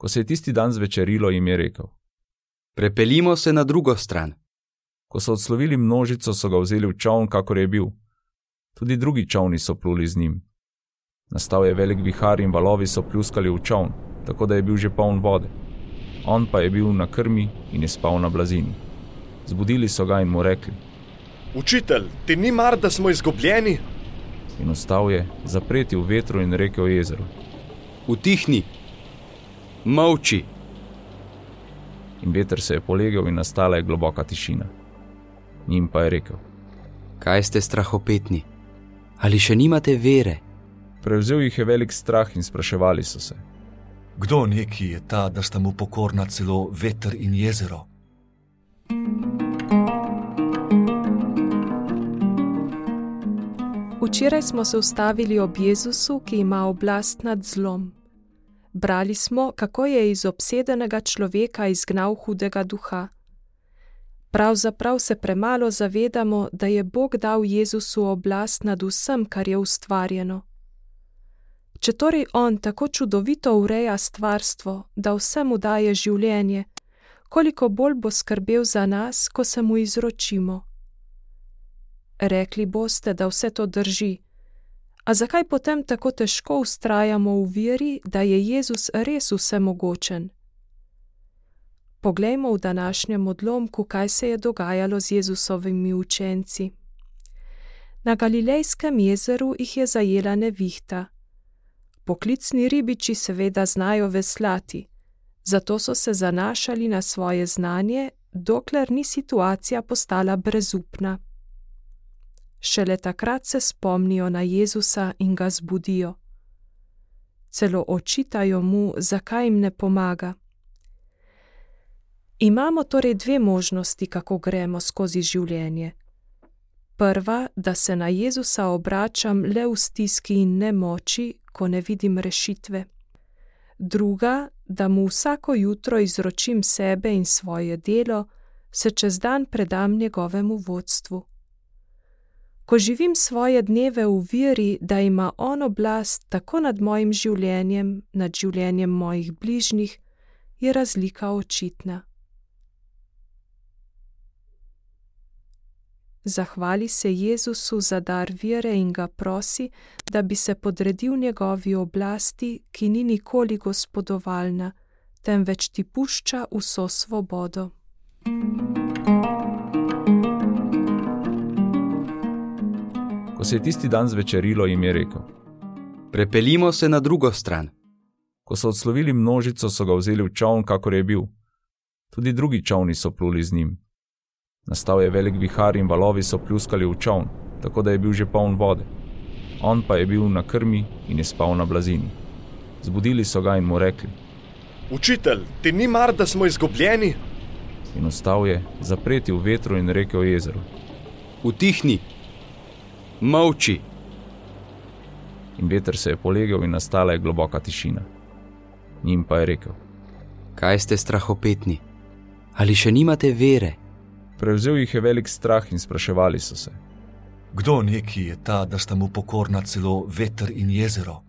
Ko se je tisti dan zvečerilo, jim je rekel: Prepeljimo se na drugo stran. Ko so odslovili množico, so ga vzeli v čoln, kakor je bil. Tudi drugi čolni so pluli z njim. Nastal je velik vihar in valovi so pljuskali v čoln, tako da je bil že poln vode. On pa je bil na krmi in je spal na blazini. Zbudili so ga in mu rekli: Učitelj, ti ni mar, da smo izgubljeni? In vstal je, zapreti v vetru in rekel jezeru: Utihni, molči. In veter se je polegel in nastala je globoka tišina. Njim pa je rekel: Kaj ste strahopetni? Ali še nimate vere? Prevzel jih je velik strah in spraševali so se: Kdo neki je ta, da sta mu pokorna celo veter in jezero? Včeraj smo se ustavili ob Jezusu, ki ima oblast nad zlom. Brali smo, kako je iz obsedenega človeka izgnal hudega duha. Pravzaprav se premalo zavedamo, da je Bog dal Jezusu oblast nad vsem, kar je ustvarjeno. Če torej on tako čudovito ureja stvarstvo, da vsemu daje življenje, koliko bolj bo skrbel za nas, ko se mu izročimo. Rekli boste, da vse to drži. A zakaj potem tako težko vztrajamo v veri, da je Jezus res vsemogočen? Poglejmo v današnjem odlomku, kaj se je dogajalo z Jezusovimi učenci. Na Galilejskem jezeru jih je zajela nevihta. Poklicni ribiči seveda znajo veslati, zato so se zanašali na svoje znanje, dokler ni situacija postala brezupna. Šele takrat se spomnijo na Jezusa in ga zbudijo. Celo očitajo mu, zakaj jim ne pomaga. Imamo torej dve možnosti, kako gremo skozi življenje. Prva, da se na Jezusa obračam le v stiski in nemoči, ko ne vidim rešitve. Druga, da mu vsako jutro izročim sebe in svoje delo, se čez dan predam njegovemu vodstvu. Ko živim svoje dneve v veri, da ima on oblast tako nad mojim življenjem, nad življenjem mojih bližnjih, je razlika očitna. Zahvali se Jezusu za dar vere in ga prosi, da bi se podredil njegovi oblasti, ki ni nikoli gospodovalna, temveč ti pušča vso svobodo. Ko se je tisti dan zvečerilo, jim je rekel: Prepeljimo se na drugo stran. Ko so odslovili množico, so ga vzeli v čoln, kakor je bil. Tudi drugi čolni so pluli z njim. Nastal je velik vihar in valovi so pljuskali v čoln, tako da je bil že poln vode. On pa je bil na krmi in je spal na blazini. Zbudili so ga in mu rekli: Učitelj, ti ni mar, da smo izgubljeni? In vstal je, zapreti v vetru in rekel jezeru: Utihni, molči. In veter se je polegel in nastala je globoka tišina. Njim pa je rekel: Kaj ste strahopetni? Ali še nimate vere? Prevzel jih je velik strah in spraševali so se: Kdo neki je ta, da sta mu pokorna celo veter in jezero?